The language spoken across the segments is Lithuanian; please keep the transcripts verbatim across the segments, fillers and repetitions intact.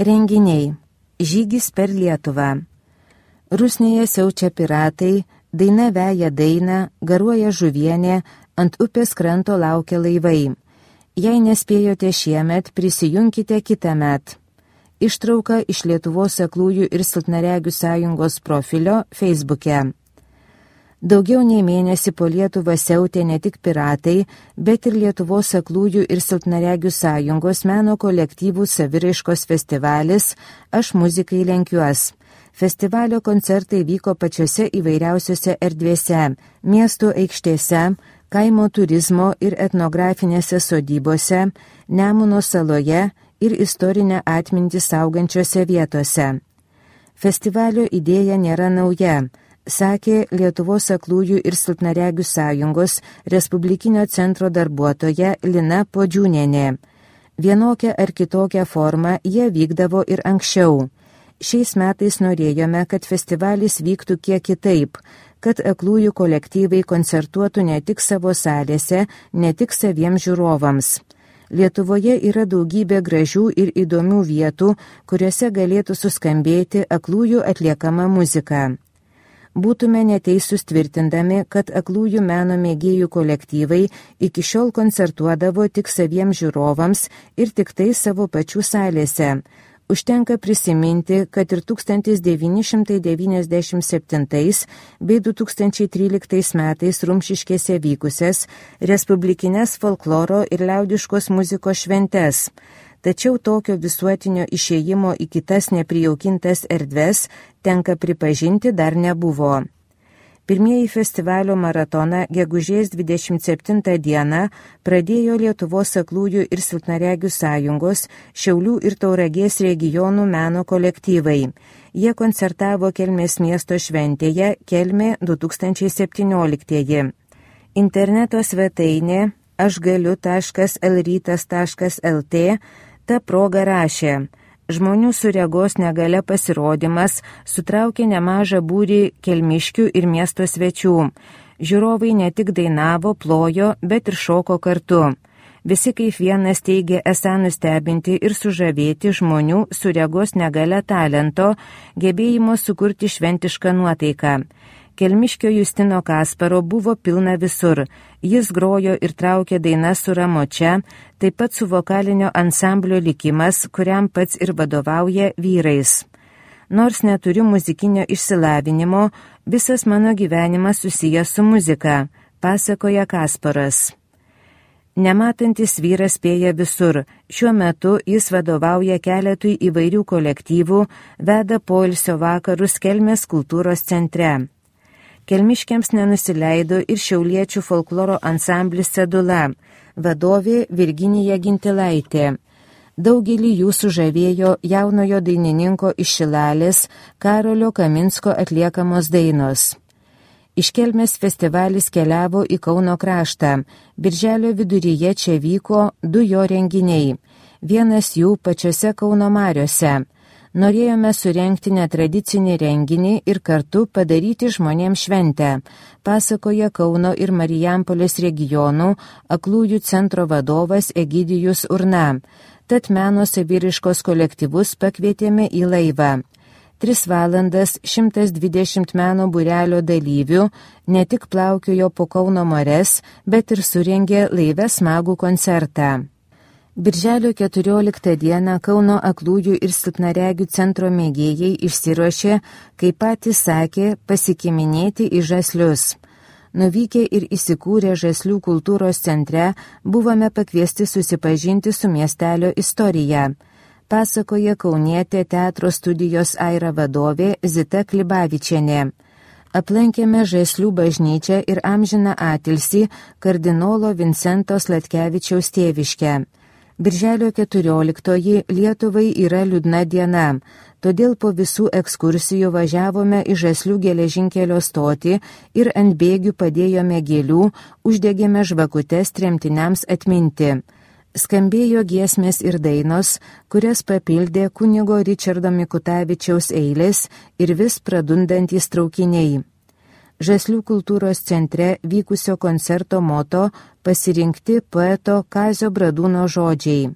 Renginiai. Žygis per Lietuvą. Rusnėje siaučia piratai, daina veja dainą, garuoja žuvienė, ant upės kranto laukia laivai. Jei nespėjote šiemet, prisijunkite kitąmet. Ištrauka iš Lietuvos aklųjų ir silpnaregių sąjungos profilio Facebook'e. Daugiau nei mėnesį po Lietuvą siautė ne tik piratai, bet ir Lietuvos aklųjų ir silpnaregių sąjungos meno kolektyvų saviraiškos festivalis Aš muzikai lenkiuos. Festivalio koncertai vyko pačiose įvairiausiose erdvėse, miestų aikštėse, kaimo turizmo ir etnografinėse sodybose, Nemuno saloje ir istorinę atmintį saugančiose vietose. Festivalio idėja nėra nauja, sakė Lietuvos aklųjų ir silpnaregių sąjungos Respublikinio centro darbuotoja Lina Podžiūnienė. Vienokią ar kitokią formą jie vykdavo ir anksčiau. Šiais metais norėjome, kad festivalis vyktų kiek kitaip, kad aklųjų kolektyvai koncertuotų ne tik savo salėse, ne tik saviems žiūrovams. Lietuvoje yra daugybė gražių ir įdomių vietų, kuriuose galėtų suskambėti aklųjų atliekama muzika. Būtume neteisūs tvirtindami, kad aklųjų meno mėgėjų kolektyvai iki šiol koncertuodavo tik saviems žiūrovams ir tik tai savo pačių salėse. Užtenka prisiminti, kad ir tūkstantis devyni šimtai devyniasdešimt septintais bei du tūkstančiai tryliktais metais Rumšiškėse vykusias respublikinės folkloro ir liaudiškos muzikos šventes. Tačiau tokio visuotinio išėjimo į kitas neprijaukintas erdves, tenka pripažinti, dar nebuvo. Pirmieji festivalio maratoną gegužės dvidešimt septintą dieną pradėjo Lietuvos aklųjų ir silpnaregių sąjungos Šiaulių ir Tauragės regionų meno kolektyvai. Jie koncertavo Kelmės miesto šventėje Kelmė du tūkstančiai septynioliktieji. Interneto svetainė aš galiu taškas el rytas taškas el tė ta proga rašė: žmonių su regos negalia pasirodymas sutraukė nemažą būrį kelmiškių ir miesto svečių. Žiūrovai ne tik dainavo, plojo, bet ir šoko kartu. Visi kaip vienas teigė esą nustebinti ir sužavėti žmonių su regos negalia talento, gebėjimo sukurti šventišką nuotaiką. Kelmiškio Justino Kasparo buvo pilna visur. Jis grojo ir traukė dainas su Ramočia, taip pat su vokalinio ansamblio Likimas, kuriam pats ir vadovauja vyrais. Nors neturiu muzikinio išsilavinimo, visas mano gyvenimas susijęs su muzika, pasakoja Kasparas. Nematantis vyras spėja visur. Šiuo metu jis vadovauja keletui įvairių kolektyvų, veda poilsio vakarus Kelmės kultūros centre. Kelmiškiams nenusileido ir šiauliečių folkloro ansamblis Cedula, vadovė Virginija Gintilaitė. Daugelį jų sužavėjo jaunojo dainininko iš Šilalės Karolio Kaminsko atliekamos dainos. Iš Kelmės festivalis keliavo į Kauno kraštą. Birželio viduryje čia vyko du jo renginiai. Vienas jų pačiose Kauno mariose. Norėjome surengti netradicinį renginį ir kartu padaryti žmonėms šventę, pasakoja Kauno ir Marijampolės regionų aklųjų centro vadovas Egidijus Urna. Tad meno saviraiškos kolektyvus pakvietėme į laivą. Tris valandas šimtas dvidešimt meno būrelio dalyvių ne tik plaukiojo po Kauno marias, bet ir surengė laive smagų koncertą. Birželio keturioliktą dieną Kauno aklųjų ir silpnaregių centro mėgėjai išsiruošė, kaip patys sakė, pasikiminėti į žaslius. Nuvykę ir įsikūrę Žaslių kultūros centre, buvome pakviesti susipažinti su miestelio istorija, pasakoja kaunietė teatro studijos Aira vadovė Zita Klibavičienė. Aplankėme Žaslių bažnyčią ir amžiną atilsį kardinolo Vincento Sladkevičiaus tėviškę. Birželio keturioliktoji Lietuvai yra liūdna diena, todėl po visų ekskursijų važiavome į Žaslių geležinkelio stotį ir ant bėgių padėjome gėlių, uždegėme žvakutes tremtiniams atminti. Skambėjo giesmės ir dainos, kurias papildė kunigo Ričardo Mikutavičiaus eilės ir vis pradundantys traukiniai. Žaslių kultūros centre vykusio koncerto moto pasirinkti poeto Kazio Bradūno žodžiai.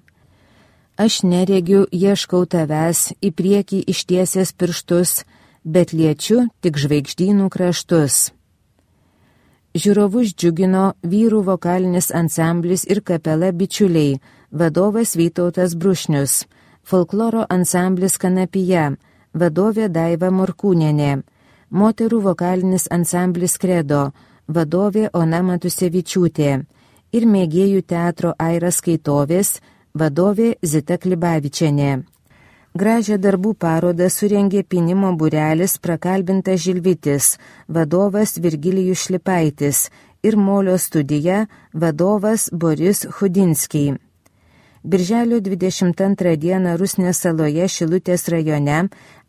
Aš neregiu, ieškau tavęs, į priekį ištiesęs pirštus, bet liečiu tik žvaigždynų kraštus. Žiūrovus džiugino vyrų vokalinis ansamblis ir kapela Bičiuliai, vadovas Vytautas Brušnius, folkloro ansamblis Kanapija, vadovė Daiva Morkūnienė, moterų vokalinis ansamblis Kredo, vadovė Ona Matusevičiūtė ir mėgėjų teatro Airas Skaitovės, vadovė Zita Klibavičienė. Gražią darbų parodą surengė Pynimo būrelis Prakalbintas Žilvitis, vadovas Virgilijus Šlipaitis ir Molio studija, vadovas Boris Chudinskiai. Birželio dvidešimt antrą dieną Rusnės saloje Šilutės rajone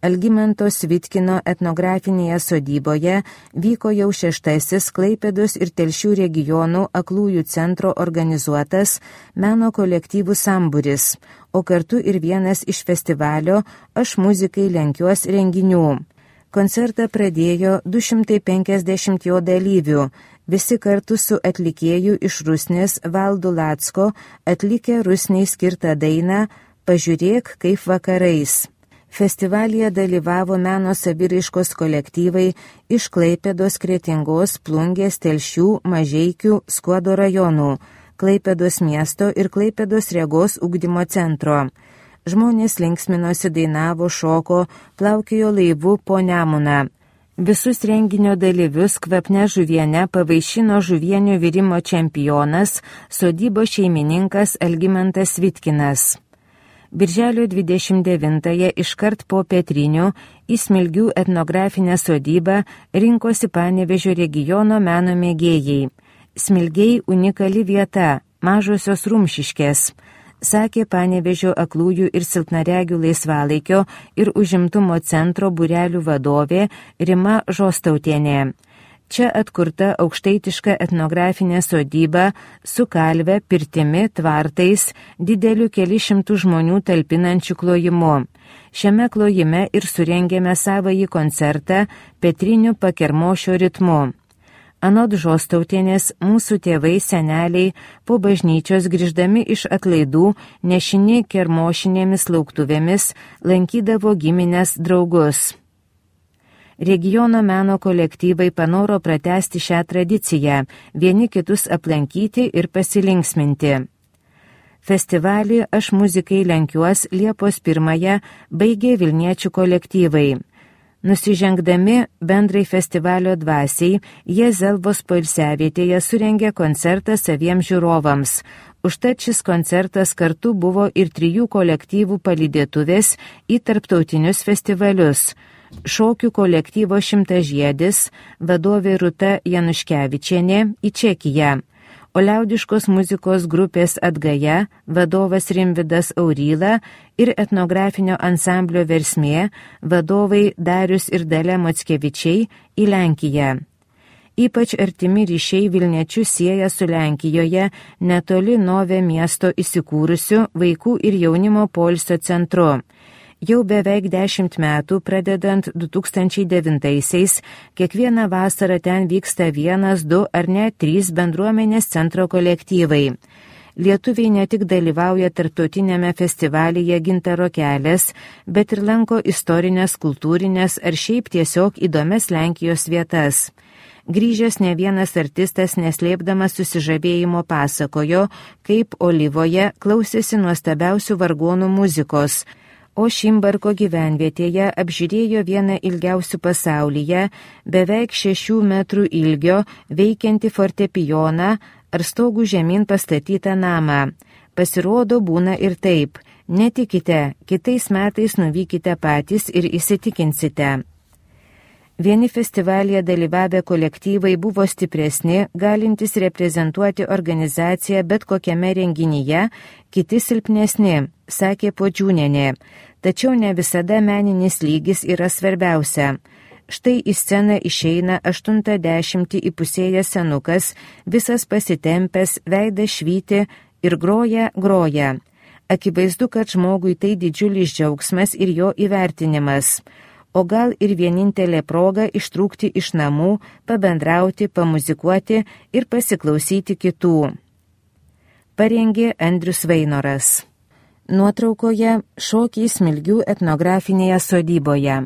Algimanto Svitkino etnografinėje sodyboje vyko jau šeštasis Klaipėdos ir Telšių regionų aklųjų centro organizuotas meno kolektyvų sambūris, o kartu ir vienas iš festivalio Aš muzikai lenkiuos renginių. Koncertą pradėjo du šimtai penkiasdešimt jo dalyvių, visi kartu su atlikėju iš Rusnės Valdu Lacko atlikę Rusnei skirtą dainą Pažiūrėk kaip vakarais. Festivalyje dalyvavo meno saviraiškos kolektyvai iš Klaipėdos, Kretingos, Plungės, Telšių, Mažeikių, Skuodo rajonų, Klaipėdos miesto ir Klaipėdos regos ugdymo centro. Žmonės linksminosi, dainavo, šoko, plaukiojo laivu po Nemuną. Visus renginio dalyvius kvapne žuviene pavaišino žuvienių virimo čempionas, sodybos šeimininkas Algimantas Svitkinas. Birželio dvidešimt devintąją iškart po Petrinių į Smilgių etnografinę sodybą rinkosi Panevėžio regiono meno mėgėjai. Smilgiai unikali vieta, mažosios Rumšiškės, sakė Panevėžio aklųjų ir silpnaregių laisvalaikio ir užimtumo centro būrelių vadovė Rima Žostautienė. Čia atkurta aukštaitiška etnografinė sodyba su kalve, pirtimi, tvartais, dideliu keli šimtų žmonių talpinančių klojimu. Šiame klojime ir surengėme savąjį koncertą Petrinių pakermošio ritmu. Anot Žostautienės, mūsų tėvai, seneliai po bažnyčios grįždami iš atlaidų nešini kermošinėmis lauktuvėmis lankydavo giminės draugus. Regiono meno kolektyvai panoro pratęsti šią tradiciją, vieni kitus aplankyti ir pasilinksminti. Festivalį Aš muzikai lenkiuos Liepos pirmąją baigė Vilniečių kolektyvai. Nusižengdami bendrai festivalio dvasiai, jie Zelvos poilsiavietėje surengė koncertą saviems žiūrovams. Užtat šis koncertas kartu buvo ir trijų kolektyvų palydėtuvės į tarptautinius festivalius. Šokių kolektyvo Šimtažiedis, vadovė Rūta Januškevičienė į Čekiją, o liaudiškos muzikos grupės Atgaja, vadovas Rimvydas Auryla ir etnografinio ansamblio Versmė, vadovai Darius ir Dalia Mockevičiai į Lenkiją. Ypač artimi ryšiai Vilniečius sieja su Lenkijoje netoli Nove miesto įsikūrusiu vaikų ir jaunimo poilsio centru. Jau beveik dešimt metų, pradedant du tūkstančiai devintaisiais, kiekvieną vasarą ten vyksta vienas, du ar net trys bendruomenės centro kolektyvai. Lietuviai ne tik dalyvauja tarptautinėme festivalyje Gintaro kelias, bet ir lanko istorinės, kultūrinės ar šiaip tiesiog įdomias Lenkijos vietas. Grįžęs ne vienas artistas neslėpdamas susižavėjimo pasakojo, kaip Olyvoje klausėsi nuostabiausių vargonų muzikos, o Šimbarko gyvenvietėje apžiūrėjo vieną ilgiausių pasaulyje, beveik šešių metrų ilgio, veikiantį fortepijoną ar stogų žemyn pastatytą namą. Pasirodo, būna ir taip. Netikite, kitais metais nuvykite patys ir įsitikinsite. Vieni festivalyje dalyvavę kolektyvai buvo stipresni, galintys reprezentuoti organizaciją bet kokiame renginyje, kiti silpnesni, sakė Podžiūnienė. Tačiau ne visada meninis lygis yra svarbiausia. Štai į sceną išeina aštuntą dešimtį įpusėjęs senukas, visas pasitempęs, veidas švyti ir groja, groja. Akivaizdu, kad žmogui tai didžiulis džiaugsmas ir jo įvertinimas. O gal ir vienintelė proga ištrūkti iš namų, pabendrauti, pamuzikuoti ir pasiklausyti kitų. Parengė Andrius Vainoras. Nuotraukoje šokiai Smilgių etnografinėje sodyboje.